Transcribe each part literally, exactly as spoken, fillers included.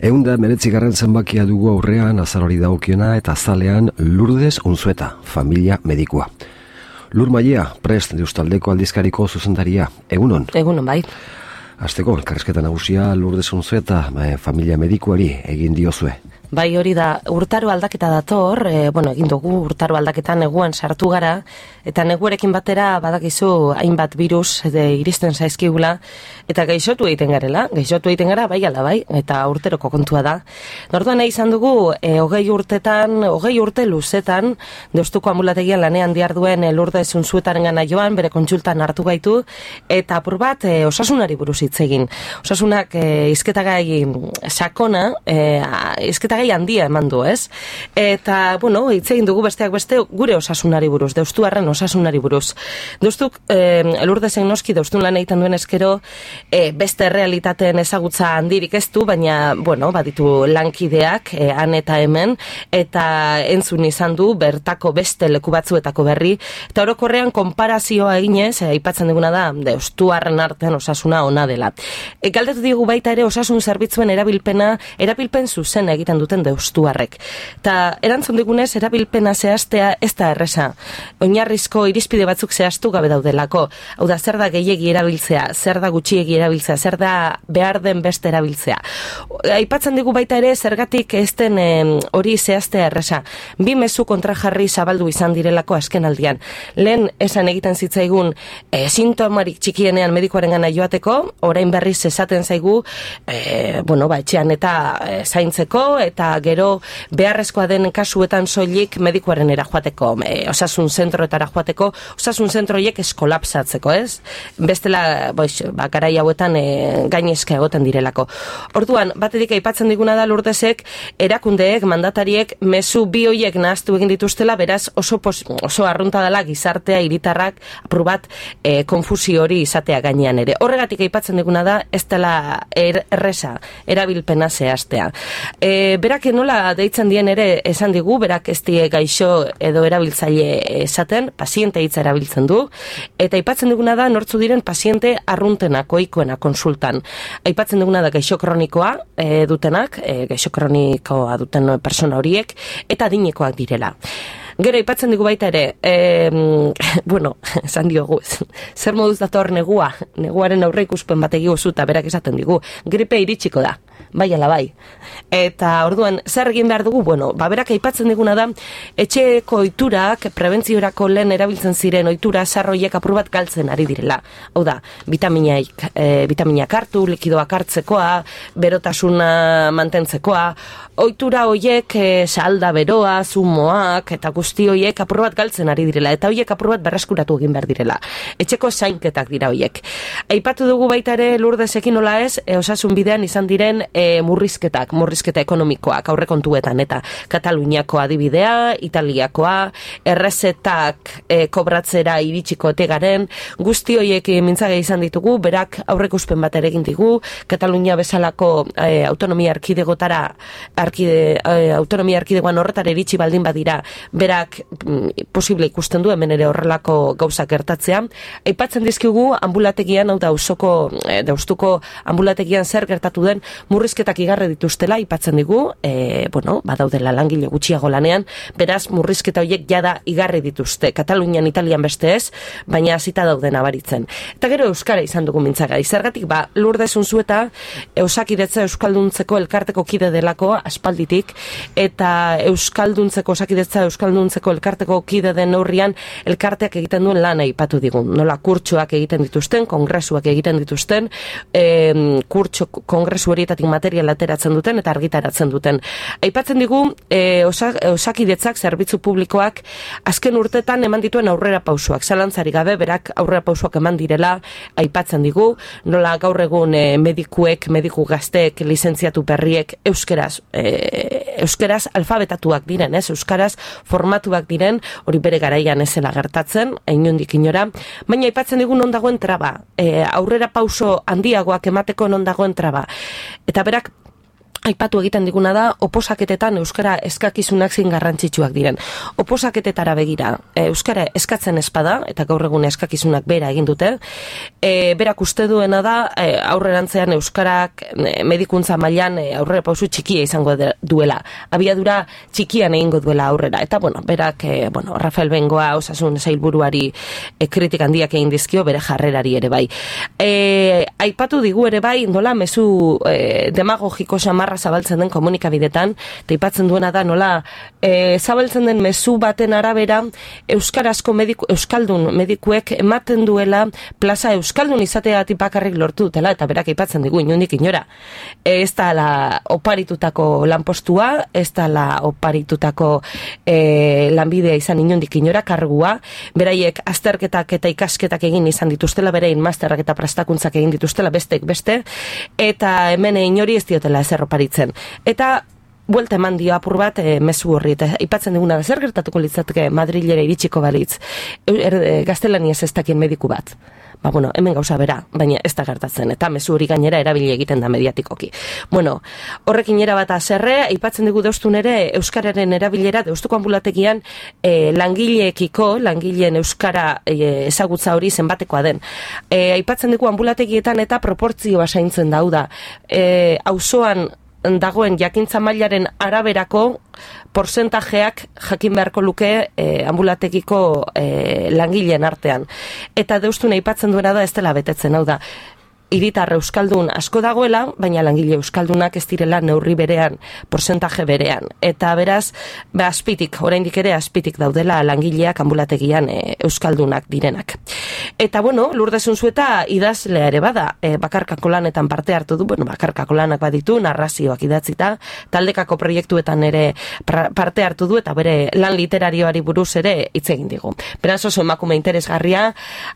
Ehunda meretzigarren zenbakia dugu aurrean azarori dagokiona eta azalean Lourdes Unzueta, familia medikua. Lur Maia, prest deustaldeko aldizkariko zuzendaria. Egunon? Egunon, bai. Azteko, elkarrizketa nagusia Lourdes Unzueta, familia medikuari egin diozue. Bai, hori da, urtaro aldaketa dator, e, bueno, egin dugu urtaro aldaketan neguan sartu gara, eta neguarekin batera badakizu hainbat virus de, iristen zaizkigula, eta gaixotu egiten garela, gaixotu egiten gara, bai ala bai, eta urteroko kontua da. Norduan nahi izan dugu, e, hogei urtetan, hogei urte luzetan, Deustuko ambulategian lanean diarduen e, Lourdes Unzuetaren gana joan, bere kontsultan hartu gaitu, eta apur bat e, osasunari buruz hitz egin. Osasunak e, izketagai sakona, e, izketagai gai handia eman du, ez? Eta, bueno, hitz egin dugu besteak beste gure osasunari buruz, deustuarren osasunari buruz. Deustuk, eh, Lourdesen noski deustun lan egiten duen eskero, eh, beste realitateen ezagutza handirik ez du, baina, bueno, baditu lankideak, eh, han eta hemen, eta entzun izan du bertako beste leku batzuetako berri, eta orokorrean konparazioa eginez, eh, aipatzen duguna da, deustuarren artean osasuna ona dela. E, galdetu digu baita ere osasun zerbitzuen erabilpena, erabilpen zuzen egiten duten deustuarrek. Ta erantzun digunez, erabilpena zehaztea ez da erresa. Oinarrizko irizpide batzuk zehaztu gabe daudelako. Hau da, zer da gehiegi erabiltzea, zer da gutxiegi erabiltzea, zer da behar den beste erabiltzea. Aipatzen digu baita ere, zergatik ez den hori eh, zehaztea erresa. Bi mezu kontrajarri zabaldu izan direlako azken aldian. Lehen esan egiten zitzaigun eh, sintomarik txikienean medikoaren gana joateko, orain berriz esaten zaigu, eh, bueno, ba, etxean eta eh, zaintzeko, eta gero beharrezkoa den kasuetan soilik medikuaren era joateko, e, osasun zentroetara joateko, osasun zentroiek eskolapsatzeko, ez? Bestela, boix, ba, garai hauetan e, gainezka egoten direlako. Orduan, batetik aipatzen diguna da Lourdesek, erakundeek, mandatariek, mezu bi hoiek nahaztu egin dituztela, beraz oso, pos, oso arrunta dela gizartea, hiritarrak, apur bat, e, konfusio hori izatea gainean ere. Horregatik aipatzen diguna da, ez dela er, erresa, erabilpena zehaztea. E, berak nola deitzen dien ere esan digu, berak ez die gaixo edo erabiltzaile esaten, paziente hitza erabiltzen du, eta aipatzen duguna da nortzu diren paziente arruntenak, ohikoena konsultan. Aipatzen duguna da gaixo kronikoa e, dutenak, e, gaixo kronikoa duten persona horiek, eta adinekoak direla. Gero, aipatzen digu baita ere, e, bueno, esan diogu, zer moduz dator negua, neguaren aurre ikuspen bat egigu zuta, berak esaten digu, gripe iritsiko da, bai ala bai. Eta orduan, zer egin behar dugu, bueno, ba, berak aipatzen diguna da, etxeko oiturak, prebentziorako lehen erabiltzen ziren oitura sarroiek apur bat galtzen ari direla. Hau da, vitaminak, e, vitaminak hartu, likidoak hartzekoa, berotasuna mantentzekoa, oitura hoiek e, salda beroa, zumoak, eta guzti hoiek apur bat galtzen ari direla, eta hoiek apur bat berreskuratu egin behar direla. Etxeko zainketak dira hoiek. Aipatu dugu baita ere Lourdesekin nola ez, e, osasun bidean izan diren e, murrizketak, murrizketa ekonomikoak, aurrekontuetan, eta Kataluniako adibidea, Italiakoa, errezetak e, kobratzera iritsiko otegaren, guzti hoiek mintzage izan ditugu, berak aurreikuspen bat ere egin digu, Katalunia bezalako e, autonomia arkidegotara, arkide, e, autonomia arkidegoan horretara iritsi baldin badira, berak mm, posible ikusten du hemen ere horrelako gauzak gertatzea. Aipatzen dizkigu ambulategian, hau da usoko, e, deustuko ambulategian zer gertatu den murrizketak igarre dituztela, aipatzen digu, e, bueno, badaudela langile gutxiago lanean, beraz murrizketa horiek jada igarri dituzte. Katalunian, Italian beste ez, baina hasita dauden abaritzen. Eta gero euskara izan dugu mintzagai. Zergatik, ba, Lourdes Unzueta Osakidetza euskalduntzeko elkarteko kide delako aspalditik, eta euskalduntzeko Osakidetza euskalduntzeko elkarteko kide den neurrian elkarteak egiten duen lana aipatu digun. Nola kurtsoak egiten dituzten, kongresuak egiten dituzten, e, kurtso kongresu horietatik material ateratzen duten eta argitaratzen duten. Aipatzen digu, e, osak, Osakidetzak zerbitzu publikoak azken urtetan eman dituen aurrera pausuak. Zalantzari gabe, berak aurrera pausuak eman direla, aipatzen digu, nola gaur egun e, medikuek, mediku gazteek, lizentziatu berriek euskeraz, e, euskeraz alfabetatuak diren, ez? Euskaraz formatuak diren, hori bere garaian ezela gertatzen, inondik inora, baina aipatzen digu non dagoen traba, e, aurrera pauso handiagoak emateko non dagoen traba. Eta berak aipatu egiten diguna da, oposaketetan euskara eskakizunak zin garrantzitsuak diren. Oposaketetara begira, euskara eskatzen espada, eta gaur egun eskakizunak bera egin dute, e, berak uste duena da, e, aurrerantzean euskarak e, medikuntza mailan e, aurrera pausu txikia izango de, duela. Abiadura txikian egingo duela aurrera. Eta, bueno, berak, e, bueno, Rafael Bengoa osasun zailburuari e, kritik handiak egin dizkio, bere jarrerari ere bai. E, aipatu digu ere bai, nola mezu e, demagogiko samarra zabaltzen den komunikabidetan, eta ipatzen duena da nola e, zabaltzen den mezu baten arabera euskarazko mediku, euskaldun medikuek ematen duela plaza euskaldun izateagatik bakarrik lortu dutela, eta berak ipatzen digu inundik inora. E, ez da la oparitutako lanpostua, ez da la oparitutako e, lanbidea izan inundik inora kargua, beraiek azterketak eta ikasketak egin izan dituztela, berein masterrak eta prestakuntzak egin dituztela bestek beste, eta hemen inori ez diotela ezer oparitzen. Eta buelta eman dio apur bat e, mezu horri, eta ipatzen diguna da zer gertatuko litzateke Madrilera iritsiko balitz er, e, gaztelaniaz ez dakien mediku bat. Ba, bueno, hemen gauza bera, baina ez da gertatzen, eta mezu hori gainera erabili egiten da mediatikoki. Bueno, horrekin era bat azerre, aipatzen dugu deustun ere euskararen erabilera deustuko ambulategian e, langileekiko, langileen euskara e, ezagutza hori zenbatekoa den. E, aipatzen dugu ambulategietan eta proportzioa zaintzen dau da. E, auzoan dagoen jakintza mailaren araberako porzentajeak jakin beharko luke e, ambulategiko e, langileen artean. Eta deustun aipatzen duena da ez dela betetzen, hau da. Hiritar euskaldun asko dagoela, baina langile euskaldunak ez direla neurri berean, porzentaje berean. Eta beraz, ba, azpitik, oraindik ere azpitik daudela langileak ambulategian e, euskaldunak direnak. Eta bueno, Lourdes Unzueta idazlea ere bada, e, bakarkako lanetan parte hartu du, bueno, bakarkako lanak baditu, narrazioak idatzita, taldekako proiektuetan ere pra, parte hartu du, eta bere lan literarioari buruz ere hitz egin digu. Beraz oso emakume interesgarria,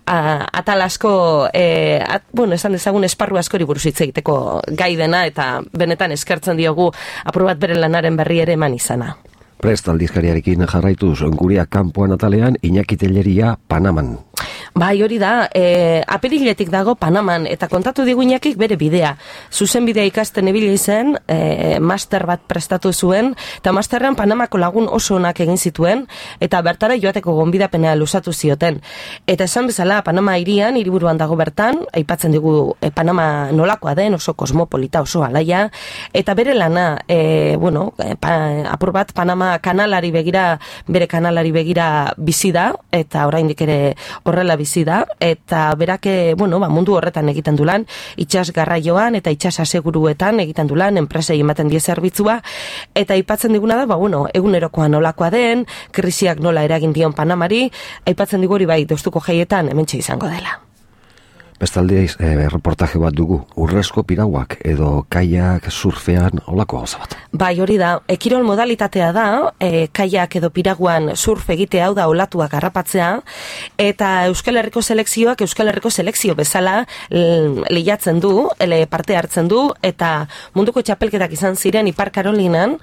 a, atalasko, e, at, bueno, esan ezagun esparru askori buruz hitz egiteko gai dena, eta benetan eskertzen diogu apur bat bere lanaren berri ere eman izana. Prest aldizkariarekin jarraituz, guria kanpoan atalean Iñaki Telleria Panaman. Bai, hori da, e, apiriletik dago Panaman, eta kontatu digu Iñakik bere bidea. Zuzen bidea ikasten ibili zen, e, master bat prestatu zuen, eta masterrean Panamako lagun oso onak egin zituen, eta bertara joateko gonbidapena luzatu zioten. Eta esan bezala, Panama hirian, hiriburuan dago bertan, aipatzen digu e, Panama nolakoa den, oso kosmopolita, oso alaia, eta bere lana, e, bueno, e, pa, apur bat Panama kanalari begira, bere kanalari begira bizi da, eta oraindik ere horrela bizi da, eta berake, bueno, ba, mundu horretan egiten du lan, itsas garraioan eta itsas aseguruetan egiten du lan, enpresei ematen die zerbitzua, eta aipatzen diguna da, ba, bueno, egunerokoa nolakoa den, krisiak nola eragin dion Panamari, aipatzen digu hori bai, deustuko jaietan hementxe izango dela. Bestalde, e, reportaje bat dugu, urrezko pirauak edo kaiak surfean olako gauza bat. Bai, hori da, ekirol modalitatea da, e, kaiak edo piraguan surf egitea, hau da olatuak harrapatzea, eta Euskal Herriko selekzioak Euskal Herriko selekzio bezala lehiatzen du, ele parte hartzen du, eta munduko txapelketak izan ziren Ipar Karolinan,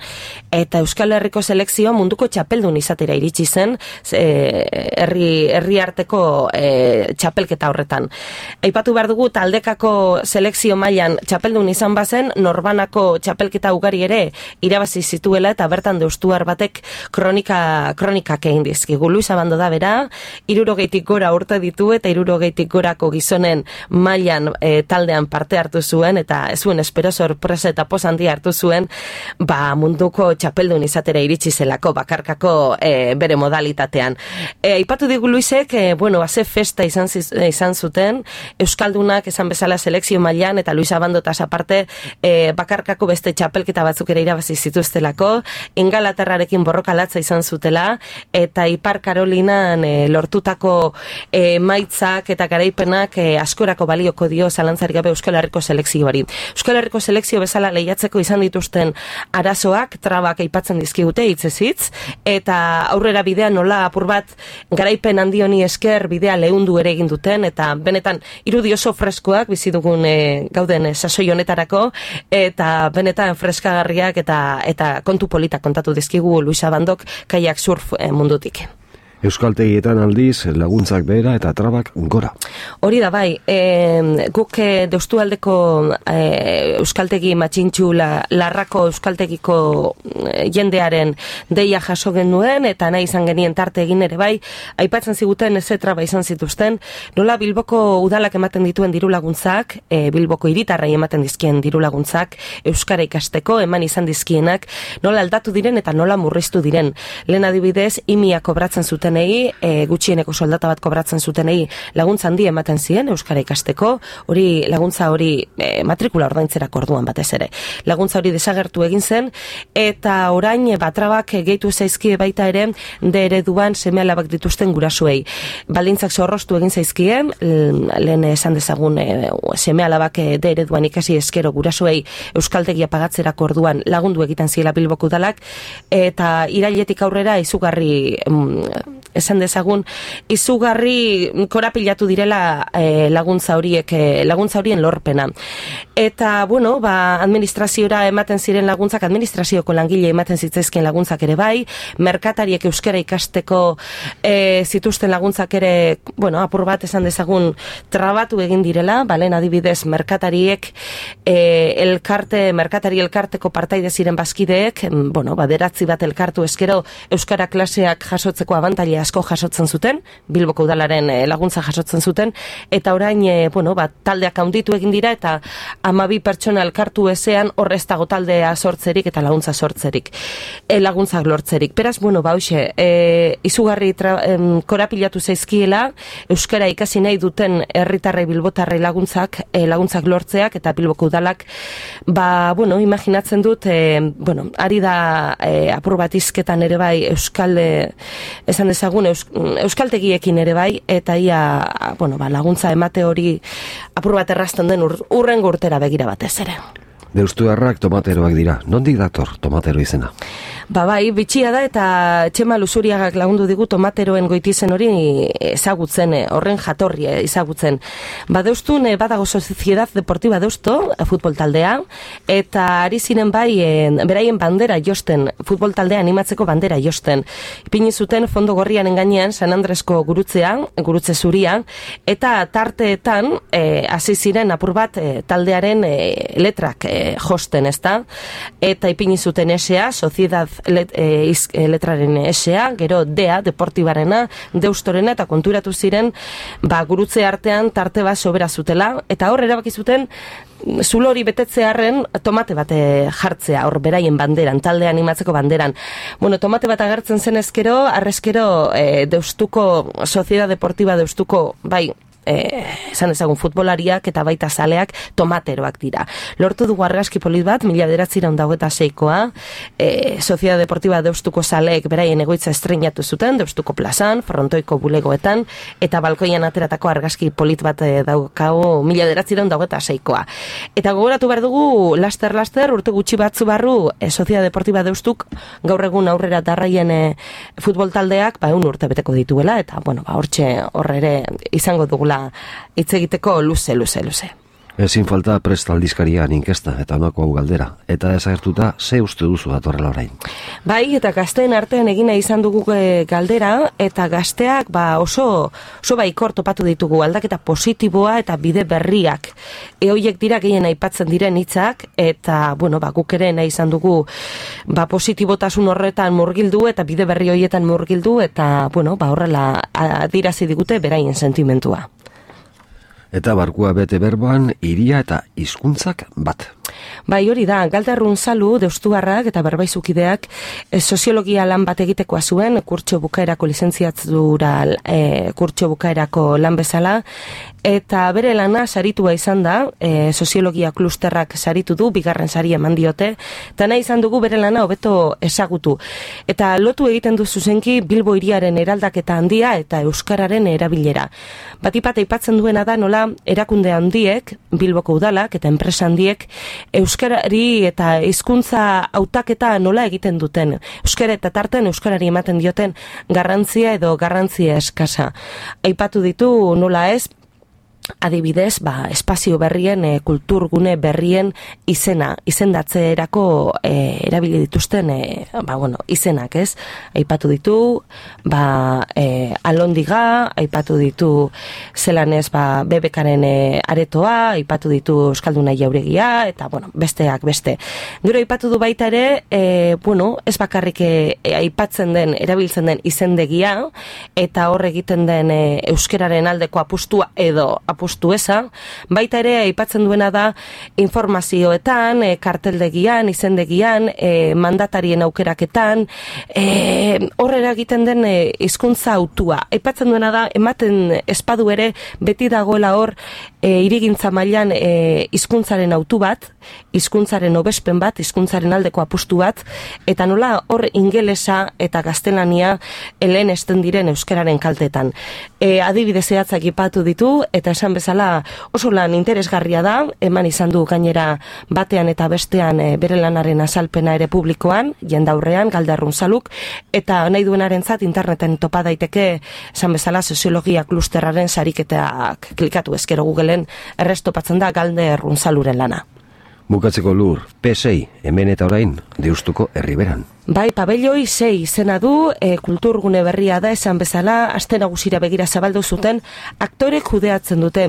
eta Euskal Herriko selekzioa munduko txapeldun izatera iritsi zen, e, herri, herri arteko e, txapelketa horretan. Aipatu behar dugu taldekako selekzio mailan txapeldun izan bazen, norbanako txapelketa ugari ere irabazi zituela, eta bertan deustuar batek kronika, kronikak egin dizkigu. Luis Abando da bera, hirurogeitik gora urte ditu, eta hirurogeitik gorako gizonen mailan e, taldean parte hartu zuen, eta ez zuen espero sorpresa eta poz handia hartu zuen, ba munduko txapeldun izatera iritsi zelako bakarkako e, bere modalitatean. E, aipatu digu Luisek, e, bueno, haze festa izan, izan zuten, Euskaldunak esan bezala selekzio mailan, eta Luis Abandotaz aparte e, bakarkako beste txapelketa batzuk ere irabazi zituztelako, Ingalaterrarekin borroka latza izan zutela, eta Ipar Karolinan e, lortutako e, maitzak eta garaipenak e, askorako balioko dio zalantzarik gabe Euskal Herriko selekzioari. Euskal Herriko selekzio bezala lehiatzeko izan dituzten arazoak, trabak aipatzen dizkigute hitzez hitz, eta aurrera bidea nola apur bat garaipen handi honi esker bidea leundu ere egin duten, eta benetan irudi oso freskoak bizi dugun e, gauden e, sasoi honetarako, eta benetan freskagarriak eta eta kontu politak kontatu dizkigu Luis Abandok kaiak surf e, mundutik. Euskaltegietan aldiz laguntzak behera eta trabak gora. Hori da bai, e, guk Deustualdeko e, euskaltegi matxintxu la, larrako euskaltegiko jendearen deia jaso genuen eta nahi izan genien tarte egin ere bai, aipatzen ziguten eze traba izan zituzten, nola Bilboko udalak ematen dituen diru laguntzak, e, Bilboko hiritarrai ematen dizkien diru laguntzak, euskara ikasteko eman izan dizkienak, nola aldatu diren eta nola murriztu diren. Lehen adibidez, imia kobratzen zuten E, gutxieneko soldata bat kobratzen zutenei laguntza handi ematen ziren euskara ikasteko, hori laguntza hori e, matrikula ordaintzerako orduan batez ere. Laguntza hori desagertu egin zen eta orain batrabak gehitu zaizkie baita ere de ereduan seme-alabak dituzten gurasuei. Baldintzak zorroztu egin zaizkien, lehen esan dezagun e, seme-alabak de ereduan ikasi eskero gurasuei euskaltegia pagatzerako orduan lagundu egiten ziela Bilboko udalak eta irailetik aurrera izugarri mm, esan dezagun, izugarri korapilatu direla e, laguntza horiek, e, laguntza horien lorpena. Eta, bueno, ba, administraziora ematen ziren laguntzak, administrazioko langile ematen zitzaizkien laguntzak ere bai, merkatariek euskara ikasteko e, zituzten laguntzak ere, bueno, apur bat esan dezagun trabatu egin direla, balen adibidez, merkatariek e, elkarte, merkatari elkarteko partaide ziren bazkideek, bueno, baderatzi bat elkartu eskero euskara klaseak jasotzeko abantaila asko jasotzen zuten, Bilboko udalaren laguntza jasotzen zuten, eta orain, e, bueno, bat, taldeak handitu egin dira, eta hamabi pertsona elkartu ezean horrez dago taldea sortzerik eta laguntza sortzerik, e, laguntzak lortzerik. Beraz, bueno, ba, hoxe, e, izugarri tra, em, korapilatu zaizkiela, euskara ikasi nahi duten herritarrei bilbotarrei laguntzak, e, laguntzak lortzeak, eta Bilboko udalak, ba, bueno, imaginatzen dut, e, bueno, ari da e, apur bat izketan ere bai, euskalde, esan dezagun, eus, euskaltegiekin ere bai, eta ia, bueno, ba, laguntza emate hori apur bat errazten den ur, urrengo urtera begira batez ere. Deustuarrak tomateroak dira. Nondik dator tomatero izena? Ba bai, bitxia da eta Txema Luzuriagak lagundu digu tomateroen goitizen hori ezagutzen, horren jatorria ezagutzen. Ba Deustun badago Sociedad Deportiva Deusto, futbol taldea, eta ari ziren bai beraien bandera josten, futbol taldea animatzeko bandera josten. Ipini zuten fondo gorriaren gainean San Andresko gurutzea, gurutze zuria, eta tarteetan hasi e, ziren apur bat e, taldearen e, letrak e, josten, ezta? Eta ipini zuten esea, Sociedad Let, e, iz, e, letraren esea, gero dea, deportibarena, deustorena, eta konturatu ziren, ba, gurutze artean tarte bat sobera zutela, eta hor erabaki zuten zulo hori betetzearren tomate bat jartzea, hor beraien banderan, talde animatzeko banderan. Bueno, tomate bat agertzen zen ezkero, arrezkero e, Deustuko, Sociedad Deportiva Deustuko, bai, Eh, esan ezagun futbolariak eta baita zaleak tomateroak dira. Lortu dugu argazki polit bat, mila bederatziehun eta hogeita seikoa, eh, Sociedad Deportiva Deustuko zaleek beraien egoitza estreinatu zuten, Deustuko plazan, frontoiko bulegoetan, eta balkoian ateratako argazki polit bat eh, daukagu mila bederatziehun eta hogeita seikoa. Eta gogoratu behar dugu, laster-laster, urte gutxi batzu barru, eh, Sociedad Deportiva Deustuk, gaur egun aurrera darraien eh, futbol taldeak, ba, un urte beteko dituela, eta, bueno, ba, hortxe horre ere izango dugula hitz egiteko luze, luze, luze. Ezin falta Prest aldizkarian inkesta eta honako hau galdera. Eta desagertuta, ze uste duzu datorrela orain? Bai, eta gazteen artean egina izan dugu galdera, eta gazteak ba, oso, oso baikor topatu ditugu aldaketa positiboa eta bide berriak. Ehoiek dira gehien aipatzen diren hitzak, eta bueno, ba, guk ere nahi izan dugu ba, positibotasun horretan murgildu eta bide berri horietan murgildu, eta bueno, ba, horrela adirazi digute beraien sentimentua. Eta barkua bete berboan, hiria eta hizkuntzak bat. Bai, hori da, Galderrun Salu, deustuarrak eta berbaizukideak e, soziologia lan bat egitekoa zuen, kurtso bukaerako lizentziatura e, kurtso bukaerako lan bezala, eta bere lana saritua izan da, e, soziologia klusterrak saritu du, bigarren saria eman diote, eta nahi izan dugu bere lana hobeto ezagutu. Eta lotu egiten du zuzenki Bilbo hiriaren eraldaketa handia eta euskararen erabilera. Batipat aipatzen duena da nola erakunde handiek, Bilboko udalak eta enpresa handiek, euskarari eta hizkuntza hautaketa nola egiten duten. Euskara eta tarten euskarari ematen dioten garrantzia edo garrantzia eskasa. Aipatu ditu nola ez, adibidez, ba, espazio berrien, e, kulturgune berrien izena, izendatzeerako e, erabili dituzten, e, ba, bueno, izenak, ez? Aipatu ditu, ba, e, alondiga, aipatu ditu zelan ez, ba, bebekaren e, aretoa, aipatu ditu euskalduna jauregia, eta, bueno, besteak beste. Gero aipatu du baita ere, e, bueno, ez bakarrik e, aipatzen den, erabiltzen den izendegia, eta hor egiten den e, euskeraren aldeko apustua edo apustu eza, baita ere aipatzen duena da informazioetan, e, karteldegian, izendegian, e, mandatarien aukeraketan, e, horrela egiten den e, hizkuntza autua. Aipatzen duena da, ematen espadu ere, beti dagoela hor, e, irigintza mailan e, hizkuntzaren autu bat, hizkuntzaren hobespen bat, hizkuntzaren aldeko apustu bat, eta nola hor ingelesa eta gaztelania helen esten diren euskararen kaltetan. E, adibide zehatzak ipatu ditu, eta esan bezala oso lan interesgarria da, eman izan du gainera batean eta bestean e, bere lanaren azalpena ere publikoan, jendaurrean, galderrun zaluk, eta nahi duenarentzat interneten topa daiteke, esan bezala soziologia klusterraren sariketak klikatu ezkero Googleen errestopatzen da galderrun zaluren lana. Bukatzeko Lur, P sei, hemen eta orain, Deustuko herriberan. Bai, pabelloi sei izena du, e, kulturgune berria da esan bezala, aste nagusira begira zabaldu zuten, aktore kudeatzen dute.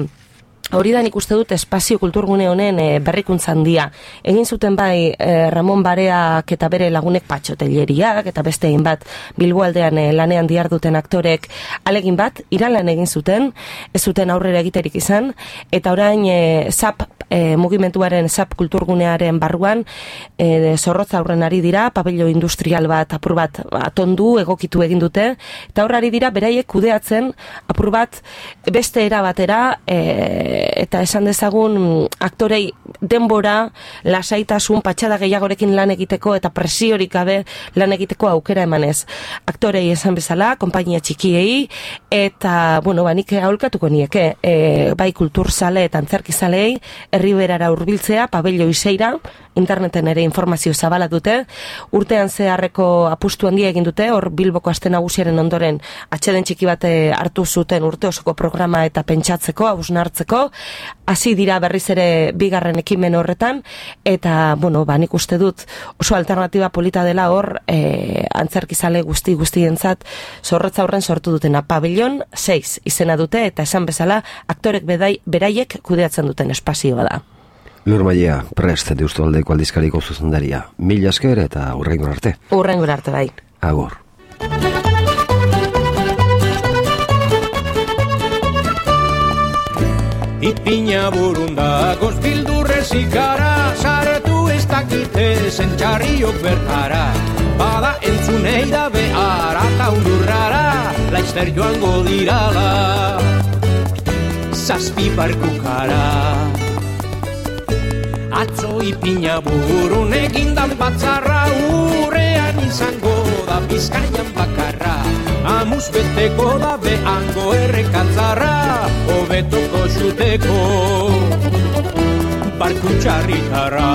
Hori da nik uste dut espazio kulturgune honen e, berrikuntza handia. Egin zuten bai e, Ramon Bareak eta bere lagunek Patxotelleriak eta beste egin bat Bilboaldean e, lanean diharduten aktorek alegin bat, iralan egin zuten, ez zuten aurrera egiterik izan, eta orain e, zap e, mugimenduaren zap kulturgunearen barruan e, zorrotza aurren ari dira, pabello industrial bat apur bat atondu, egokitu egin dute, eta horrari dira beraiek kudeatzen apur bat beste era batera e, eta esan dezagun aktorei denbora, lasaitasun, patxada gehiagorekin lan egiteko eta presiorik gabe lan egiteko aukera emanez. Aktorei esan bezala, konpainia txikiei, eta, bueno, ba, nik aholkatuko nieke, e, bai kulturzale eta antzerkizalei, herriberara hurbiltzea, pabello iseira, interneten ere informazio zabala dute, urtean zeharreko apustu handia egin dute, hor Bilboko aste nagusiaren ondoren atxeden txiki bate hartu zuten urte osoko programa eta pentsatzeko, hausnartzeko, hasi dira berriz ere bigarren ekimen horretan, eta, bueno, ba, nik uste dut oso alternatiba polita dela hor e, antzerkizale guzti guztientzat zorrotza horren sortu dutena. Pabellon seis izena dute, eta esan bezala aktorek bedai, beraiek kudeatzen duten espazioa da. Lur Mailea, prest Deustualdeko aldizkariko zuzendaria. Mila esker eta hurrengor arte. Hurrengor arte bai. Agur. Ipina burunda gozbildurrez ikara, saretu ez dakite zentxarriok bertara. Bada entzunei da behar eta undurrara, laizter joango dirala, zazpi barkukara. Atzo ipina burun egindan batzarra, urrean izango da Bizkaian bakarra. Amuz beteko da behango errekatzarra, hobetoko xuteko barku txarritarra.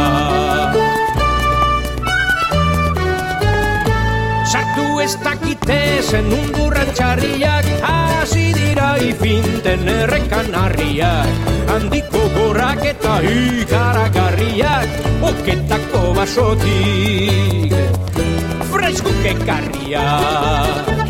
Sartu ez dakite zen undurran txarriak, hasi dira ifinten errekan harriak. Handiko gorrak eta ikaragarriak, oketako basotik freizkuk ekarriak.